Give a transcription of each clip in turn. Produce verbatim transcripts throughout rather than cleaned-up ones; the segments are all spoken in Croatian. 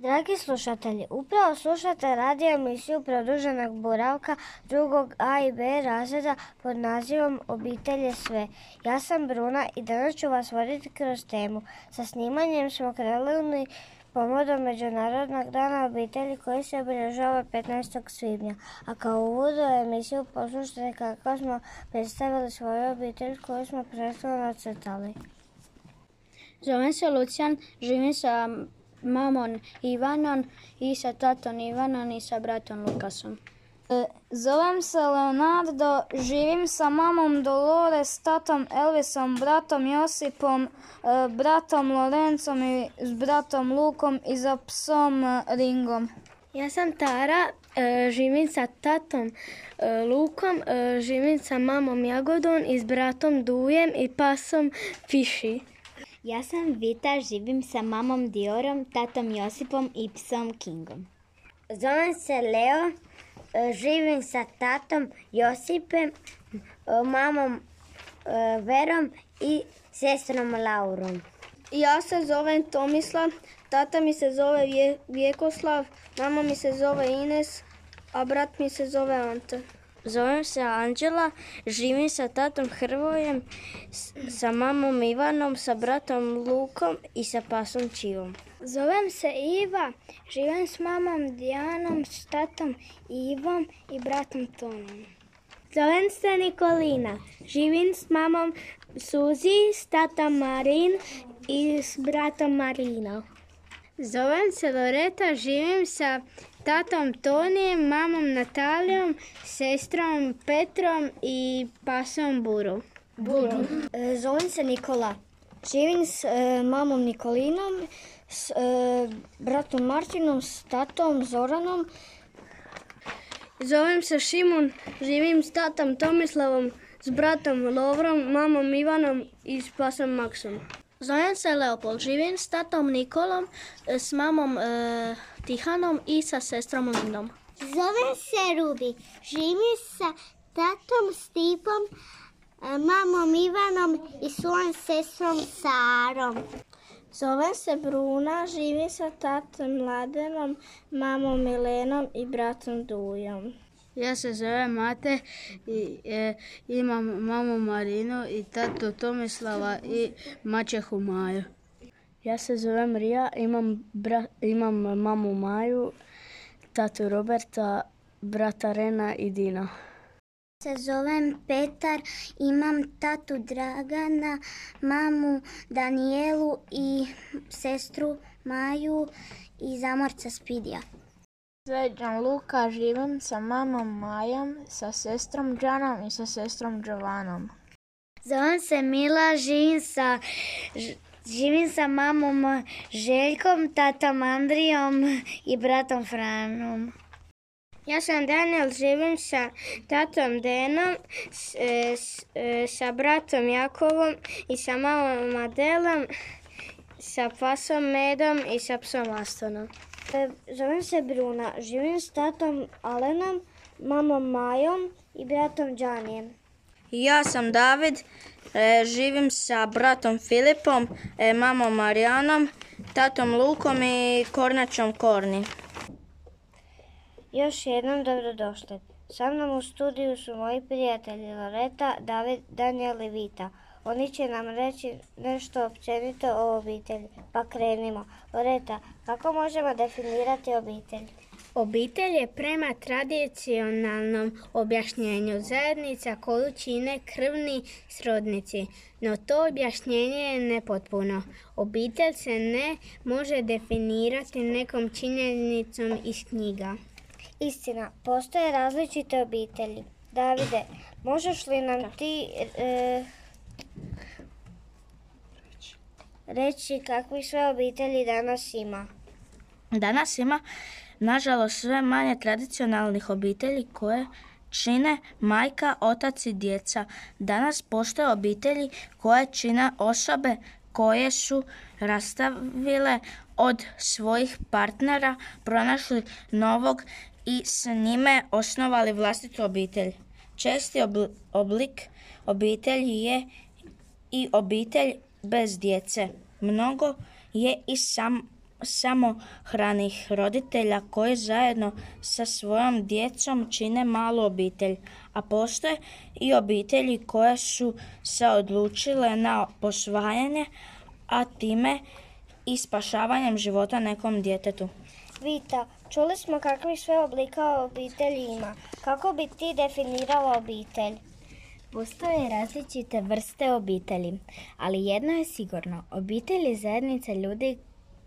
Dragi slušatelji, upravo slušate radio emisiju Produženog boravka drugog A i B razreda pod nazivom Obitelj je sve. Ja sam Bruna i danas ću vas voditi kroz temu. Sa snimanjem smo krenuli povodom Međunarodnog dana obitelji koji se obilježava petnaestog svibnja. A kao uvod u emisiju poslušajte kako smo predstavili svoju obitelj koju smo prethodno nacrtali. Zovem se Lucijan, živim sa mamom Ivanom i sa tatom Ivanom i sa bratom Lukasom. Zovem se Leonardo, živim sa mamom Dolores, tatom Elvisom, bratom Josipom, bratom Lorencom i s bratom Lukom i za psom Ringom. Ja sam Tara, živim sa tatom Lukom, živim sa mamom Jagodom i s bratom Dujem i pasom Fiši. Ja sam Vita, živim sa mamom Diorom, tatom Josipom i psom Kingom. Zovem se Leo, živim sa tatom Josipem, mamom Verom i sestrom Laurom. Ja se zovem Tomislav, tata mi se zove Vjekoslav, mama mi se zove Ines, a brat mi se zove Ante. Zovem se Anđela, živim sa tatom Hrvojem, sa mamom Ivanom, sa bratom Lukom i sa pasom Čivom. Zovem se Iva, živim s mamom Dijanom, s tatom Ivom i bratom Tonom. Zovem se Nikolina, živim s mamom Suzi, s tatom Marin i s bratom Marinom. Zovem se Loreta, živim sa tatom Tonijem, mamom Natalijom, sestrom Petrom i pasom Buru. Buru. E, zovem se Nikola. Živim s e, mamom Nikolinom, s e, bratom Martinom, s tatom Zoranom. Zovem se Šimun, živim s tatom Tomislavom, s bratom Lovrom, mamom Ivanom i s pasom Maksom. Zovem se Leopold, živim s tatom Nikolom, s mamom e, Tihanom i sa sestrom Lindom. Zovem se Rubi, živim sa tatom Stipom, mamom Ivanom i svojom sestrom Sarom. Zovem se Bruna, živim sa tatom Mladenom, mamom Milenom i bratom Dujom. Ja se zovem Mate i e, imam mamu Marinu i tatu Tomislava i maćehu Maju. Ja se zovem Rija, imam, bra, imam mamu Maju, tatu Roberta, brata Rena i Dina. Se zovem Petar, imam tatu Dragana, mamu Danijelu i sestru Maju i zamorca Spidija. Sveđan Luka, živim sa mamom Majom, sa sestrom Džanom i sa sestrom Đovanom. Zovem se Mila, živim sa, živim sa mamom Željkom, tatom Andrijom i bratom Franom. Ja sam Daniel, živim sa tatom Denom, s, s, sa bratom Jakovom i sa mamom Adelom, sa pasom Medom i sa psom Astonom. Zovem se Bruna, živim s tatom Alenom, mamom Majom i bratom Đanijem. Ja sam David, živim sa bratom Filipom, mamom Marijanom, tatom Lukom i kornačom Korni. Još jednom dobrodošli. Sa mnom u studiju su moji prijatelji Loreta, David, Daniel i Vita. Oni će nam reći nešto općenito o obitelji. Pa krenimo. Loreta, kako možemo definirati obitelj? Obitelj je prema tradicionalnom objašnjenju zajednica koju čine krvni srodnici, no to objašnjenje je nepotpuno. Obitelj se ne može definirati nekom činjenicom iz knjiga. Istina, postoje različite obitelji. Davide, možeš li nam ti e, reći kakvi sve obitelji danas ima? Danas ima, nažalost, sve manje tradicionalnih obitelji koje čine majka, otac i djeca. Danas postoje obitelji koje čine osobe koje su rastavile od svojih partnera, pronašli novog i s njime osnovali vlastitu obitelj. Česti oblik obitelji je i obitelj bez djece. Mnogo je i sam samohranih roditelja koji zajedno sa svojom djecom čine malu obitelj, a postoje i obitelji koje su se odlučile na posvajanje, a time i spašavanjem života nekom djetetu. Vita, čuli smo kakvih sve oblika obitelji ima. Kako bi ti definirala obitelj? Postoje različite vrste obitelji, ali jedno je sigurno. Obitelj je zajednica ljudi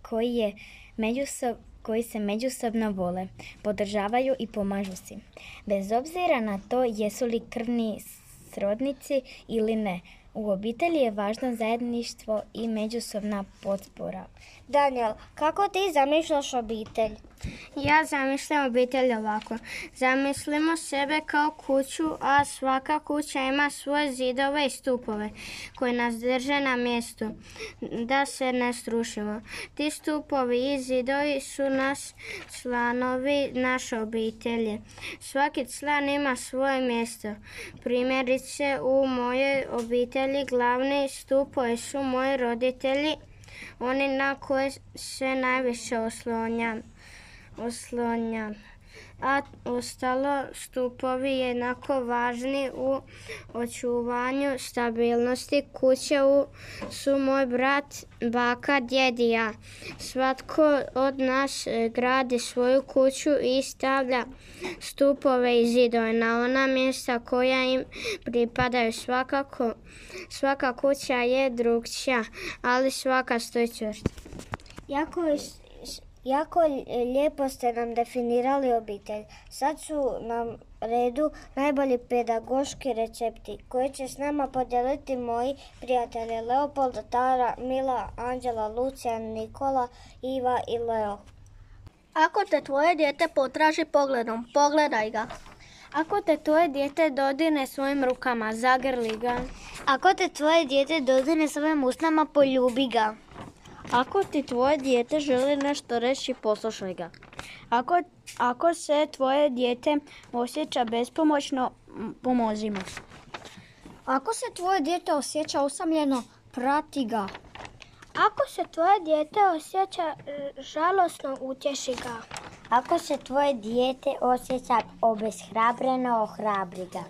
koji, je međusob, koji se međusobno vole, podržavaju i pomažu si. Bez obzira na to jesu li krvni srodnici ili ne, u obitelji je važno zajedništvo i međusobna potpora. Daniel, kako ti zamišljaš obitelj? Ja zamišljam obitelj ovako. Zamislimo sebe kao kuću, a svaka kuća ima svoje zidove i stupove koji nas drže na mjestu da se ne strušimo. Ti stupovi i zidovi su nas članovi naše obitelji. Svaki član ima svoje mjesto. Primjerice, u mojoj obitelji glavni stupovi su moji roditelji, oni na koje se najviše oslonjam. oslonjam. A ostalo stupovi jednako važni u očuvanju stabilnosti kuće u, su moj brat, baka, djed i ja. Svatko od nas gradi svoju kuću i stavlja stupove i zidove na ona mjesta koja im pripadaju. Svakako, svaka kuća je drukčija, ali svaka stoji čvrsto. Jako je Jako lijepo ste nam definirali obitelj. Sad su nam redu najbolji pedagoški recepti koje će s nama podijeliti moji prijatelji Leopolda, Tara, Mila, Anđela, Lucija, Nikola, Iva i Leo. Ako te tvoje dijete potraži pogledom, pogledaj ga. Ako te tvoje dijete dodirne svojim rukama, zagrli ga. Ako te tvoje dijete dodirne svojim usnama, poljubi ga. Ako ti tvoje dijete želi nešto reći, poslušaj ga. Ako, ako se tvoje dijete osjeća bespomoćno, pomozi mu. Ako se tvoje dijete osjeća usamljeno, prati ga. Ako se tvoje dijete osjeća žalosno, utješi ga. Ako se tvoje dijete osjeća obeshrabreno, ohrabri ga.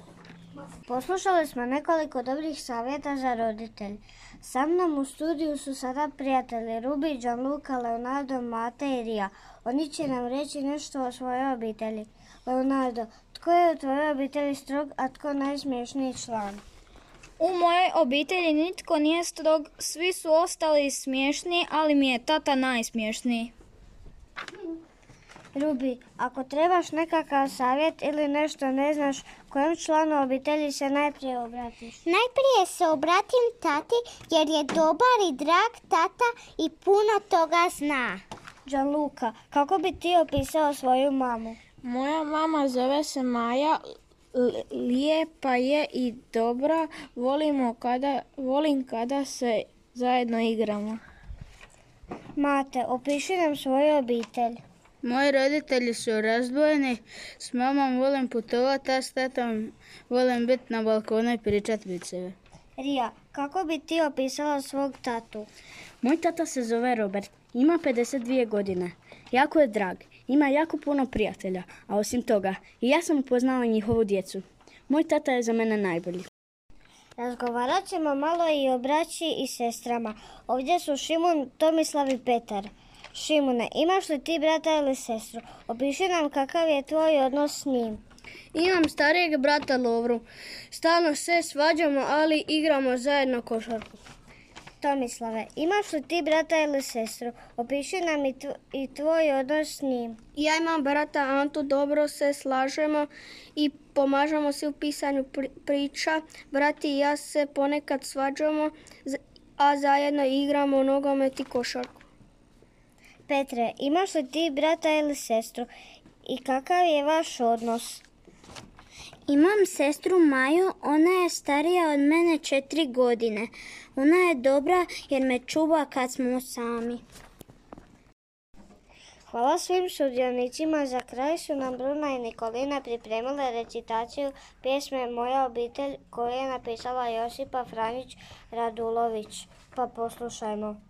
Poslušali smo nekoliko dobrih savjeta za roditelj. Sa mnom u studiju su sada prijatelji Rubi, Gianluca, Leonardo, Mate i Rija. Oni će nam reći nešto o svojoj obitelji. Leonardo, tko je u tvojoj obitelji strog, a tko najsmiješniji član? U mojoj obitelji nitko nije strog, svi su ostali smiješni, ali mi je tata najsmiješniji. Rubi, ako trebaš nekakav savjet ili nešto ne znaš, kojem članu obitelji se najprije obratiš? Najprije se obratim tati jer je dobar i drag tata i puno toga zna. Gianluca, kako bi ti opisao svoju mamu? Moja mama zove se Maja, lijepa je i dobra, volimo kada, volim kada se zajedno igramo. Mate, opiši nam svoju obitelj. Moji roditelji su razdvojeni, s mamom volim putovati, a s tatom volim biti na balkonu i pričati viceve. Rija, kako bi ti opisala svog tatu? Moj tata se zove Robert, ima pedeset dvije godine. Jako je drag, ima jako puno prijatelja, a osim toga i ja sam upoznala njihovu djecu. Moj tata je za mene najbolji. Razgovarat ćemo malo i o braći i sestrama. Ovdje su Šimun, Tomislav i Petar. Šimune, imaš li ti brata ili sestru? Opiši nam kakav je tvoj odnos s njim. Imam starijeg brata Lovru. Stalno se svađamo, ali igramo zajedno košarku. Tomislave, imaš li ti brata ili sestru? Opiši nam i, tv- i tvoj odnos s njim. Ja imam brata Antu, dobro se slažemo i pomažemo se u pisanju pri- priča. Brat i ja se ponekad svađamo, a zajedno igramo nogomet i košarku. Petre, imaš li ti brata ili sestru i kakav je vaš odnos? Imam sestru Maju, ona je starija od mene četiri godine. Ona je dobra jer me čuva kad smo sami. Hvala svim sudionicima. Za kraj su nam Bruna i Nikolina pripremile recitaciju pjesme Moja obitelj koju je napisala Josipa Franjić Radulović. Pa poslušajmo.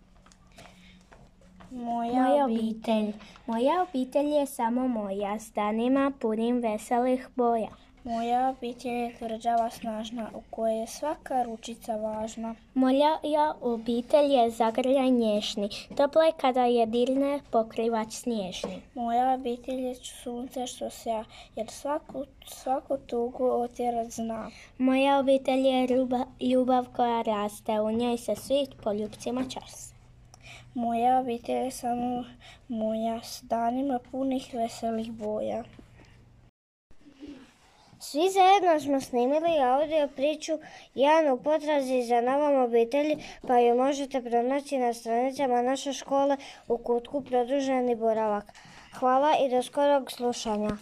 Moja, Moja obitelj. Moja obitelj je samo moja, s danima punim veselih boja. Moja obitelj je tvrđava snažna, u kojoj je svaka ručica važna. Moja obitelj je zagrljaj nješni, tople kada je dirne pokrivač snježni. Moja obitelj je sunce što sja, jer svaku, svaku tugu otjerat zna. Moja obitelj je ljubav, ljubav koja raste, u njoj se svi poljupcima časte. Moja obitelj je samo moja, s danima punih veselih boja. Svi zajedno smo snimili audio priču Jan u potrazi za novom obitelji, pa ju možete pronaći na stranicama naše škole u kutku Produženi boravak. Hvala i do skorog slušanja.